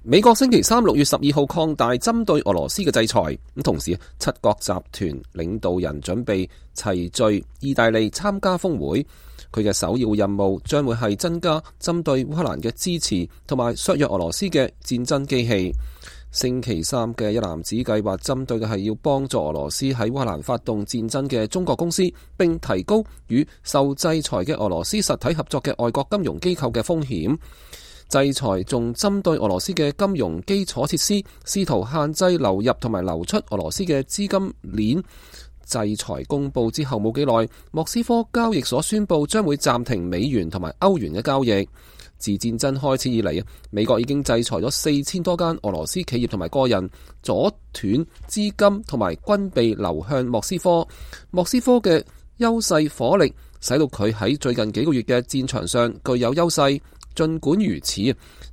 美國星期三6月12號擴大針對俄羅斯嘅制裁，同時七國集團領導人準備齊聚意大利參加峰會。佢嘅首要任務將會係增加針對烏克蘭嘅支持，同埋削弱俄羅斯嘅戰爭機器。星期三嘅一籃子計劃針對嘅係要幫助俄羅斯喺烏克蘭發動戰爭嘅中國公司，並提高與受制裁嘅俄羅斯實體合作嘅外國金融機構嘅風險。制裁仲針對俄羅斯嘅金融基礎設施，試圖限制流入同埋流出俄羅斯嘅資金鏈。制裁公佈之後冇幾耐，莫斯科交易所宣布將會暫停美元同埋歐元嘅交易。自戰爭開始以嚟，美國已經制裁咗4000多間俄羅斯企業同埋個人，阻斷資金同埋軍備流向莫斯科。莫斯科嘅優勢火力使到佢喺最近幾個月嘅戰場上具有優勢。儘管如此，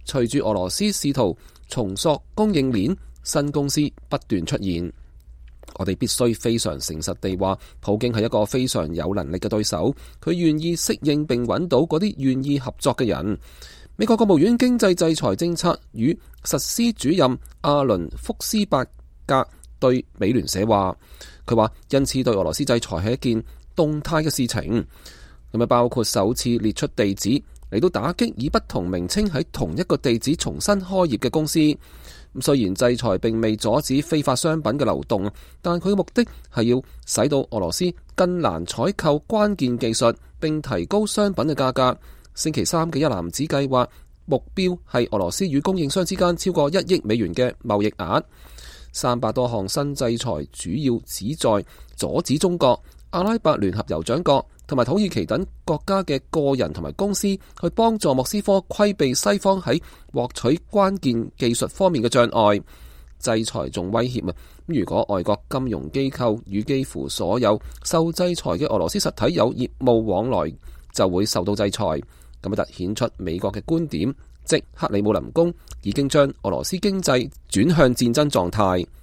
隨住俄羅斯試圖重塑供應鏈，新公司不斷出現。我哋必須非常誠實地話，普京係一個非常有能力嘅對手，佢願意適應並揾到嗰啲願意合作嘅人。美國國務院經濟制裁政策與實施主任阿倫福斯伯格對美聯社話，佢話因此對俄羅斯制裁係一件動態嘅事情，咁啊包括首次列出地址嚟到打擊以不同名稱喺同一個地址重新開業嘅公司。雖然制裁並未阻止非法商品嘅流動，但佢嘅目的係要使到俄羅斯更難採購關鍵技術，並提高商品嘅價格。星期三嘅一籃子計劃目標係俄羅斯與供應商之間超過1億美元嘅貿易額。300多項新制裁主要旨在阻止中國、阿拉伯聯合酋長國同埋土耳其等國家嘅個人同埋公司去幫助莫斯科規避西方喺獲取關鍵技術方面嘅障礙。制裁仲威脅如果外國金融機構與幾乎所有受制裁嘅俄羅斯實體有業務往來，就會受到制裁。咁突顯出美國嘅觀點，即克里姆林宮已經將俄羅斯經濟轉向戰爭狀態。